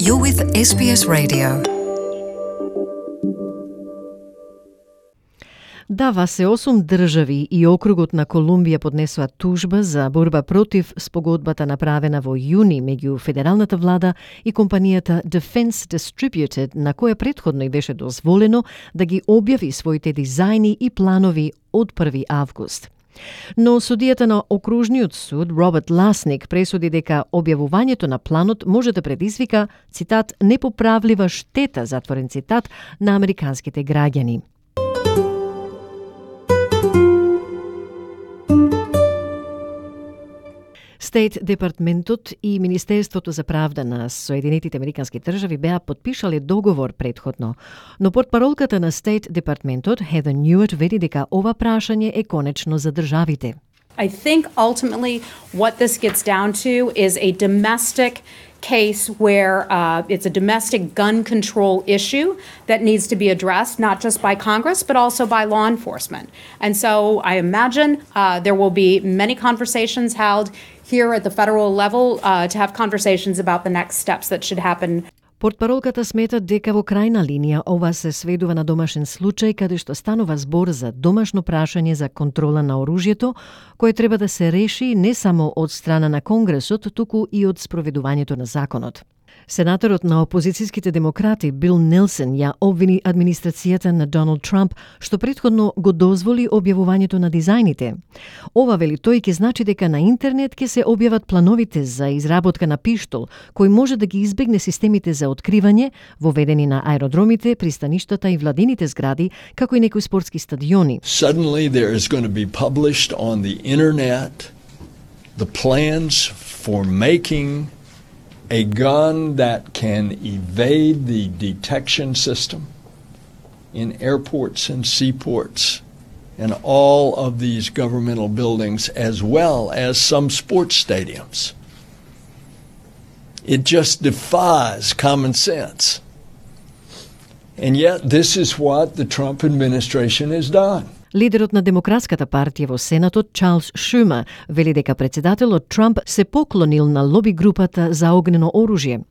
You're with SBS Radio. Дава се 8 држави и округот на Колумбија поднесува тужба за борба против спогодбата направена во јуни меѓу федералната влада и компанијата Defense Distributed, на која претходно и беше дозволено да ги објави своите дизајни и планови од 1 август. Но судијата на окружниот суд Роберт Ласник пресуди дека објавувањето на планот може да предизвика, цитат, непоправлива штета, затворен цитат, на американските граѓани. Стейт департментот и Министерството за правда на Соединетите американски држави беа подпишале договор претходно, но портпаролката на Стейт департментот Heather Nauert вели дека ова прашање е конечно за државите. I think ultimately what this gets down to is a domestic case where it's a domestic gun control issue that needs to be addressed not just by Congress but also by law enforcement. And so I imagine there will be many conversations held here at the federal level to have conversations about the next steps that should happen. Портпаролката смета дека во крајна линија ова се сведува на домашен случај каде што станува збор за домашно прашање за контрола на оружјето, кое треба да се реши не само од страна на Конгресот, туку и од спроведувањето на законот. Сенаторот на опозицијските демократи Бил Нелсон ја обвини администрацијата на Доналд Трамп што претходно го дозволи објавувањето на дизајните. Ова, вели тој, ќе значи дека на интернет ќе се објават плановите за изработка на пиштол, кој може да ги избегне системите за откривање, воведени на аеродромите, пристаништата и владините згради, како и некои спортски стадиони. Suddenly there is going to be published on the internet the plans for making a gun that can evade the detection system in airports and seaports and all of these governmental buildings as well as some sports stadiums. It just defies common sense. And yet this is what the Trump administration has done. Лидерот на Демократската партија во Сенатот Чарлс Шумер вели дека председателот Трамп се поклонил на лоби групата за огнено оружје.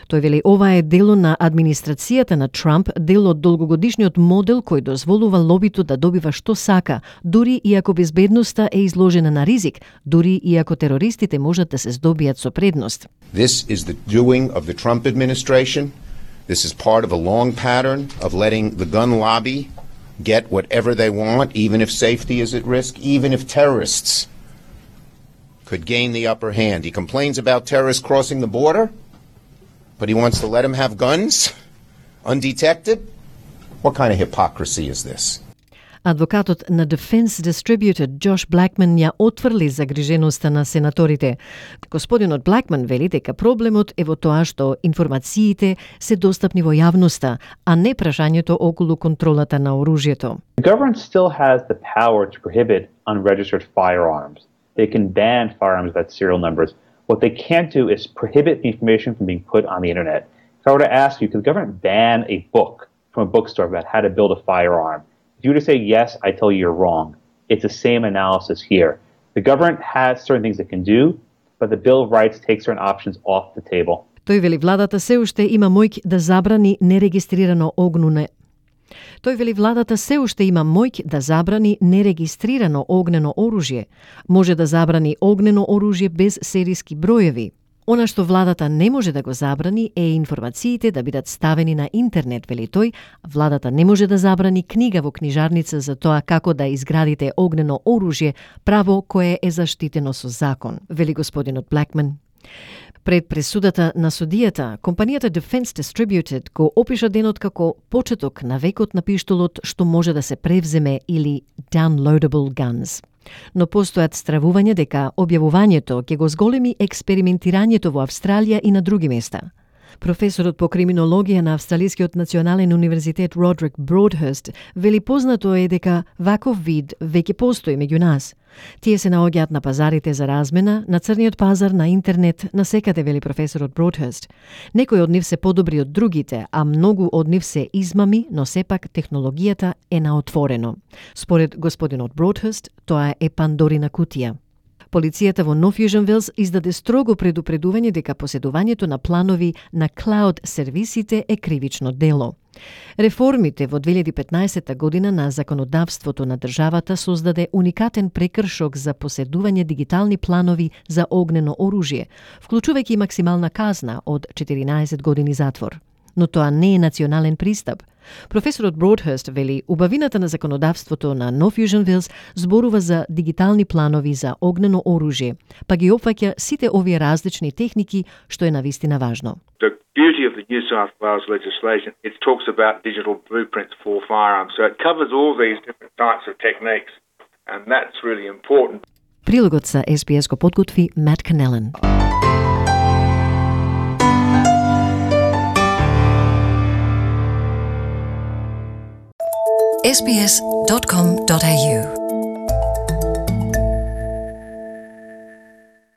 Тој вели ова е дело на администрацијата на Трамп, дел од долгогодишниот модел кој дозволува лобито да добива што сака, дури и ако безбедноста е изложена на ризик, дури и ако терористите можат да се здобијат со предност. This is the doing of the Trump administration. This is part of a long pattern of letting the gun lobby get whatever they want, even if safety is at risk, even if terrorists could gain the upper hand. He complains about terrorists crossing the border, but he wants to let them have guns undetected? What kind of hypocrisy is this? Адвокатот на Defense Distributed Джош Блакман ја отврли загриженоста на сенаторите. Господинот Блакман вели дека проблемот е во тоа што информациите се достапни во јавноста, а не прашањето околу контролата на оружјето. The government still has the power to prohibit unregistered firearms. They can ban firearms without serial numbers. What they can't do is prohibit the information from being put on the internet. If I were to ask you, could the government ban a book from a bookstore about how to build a firearm? If you were to say yes, I tell you you're wrong. It's the same analysis here. The government has certain things it can do, but the Bill of Rights takes certain options off the table. Тој вели владата се уште има моќ да забрани нерегистрирано огнено. Тој вели владата се уште има моќ да забрани нерегистрирано огнено оружје. Може да забрани огнено оружје без серијски броеви. Она што владата не може да го забрани е информациите да бидат ставени на интернет, вели тој. Владата не може да забрани книга во книжарница за тоа како да изградите огнено оружје, право кое е заштитено со закон, вели господинот Блакман. Пред пресудата на судијата, компанијата Defense Distributed го опиша денот како почеток на векот на пиштолот што може да се превземе или downloadable guns. Но постојат стравувања дека објавувањето ќе го зголеми експериментирањето во Австралија и на други места. Професорот по криминологија на Австралискиот национален универзитет Родрик Бродхерст вели познато е дека ваков вид веќе постои меѓу нас. Тие се наоѓаат на пазарите за размена, на црниот пазар, на интернет, на секаде, вели професорот Бродхерст. Некои од нив се подобри од другите, а многу од нив се измами, но сепак технологијата е на отворено. Според господинот Бродхерст, тоа е Пандорина кутија. Полицијата во Нов Јужен Велс издаде строго предупредување дека поседувањето на планови на клауд сервисите е кривично дело. Реформите во 2015 година на законодавството на државата создаде уникатен прекршок за поседување дигитални планови за огнено оружје, вклучувајќи и максимална казна од 14 години затвор. Но тоа не е национален пристап. Професорот Broadhurst вели, убавината на законодавството на Нов Јужен Велс зборува за дигитални планови за огнено оружје, па ги опфаќа сите овие различни техники, што е навистина важно. The beauty of the New South Wales legislation, it talks about digital blueprints for firearms. So it covers all these different types of techniques, and that's really important. Прилогот за SBS го подготви Matt Canellan. sbs.com.au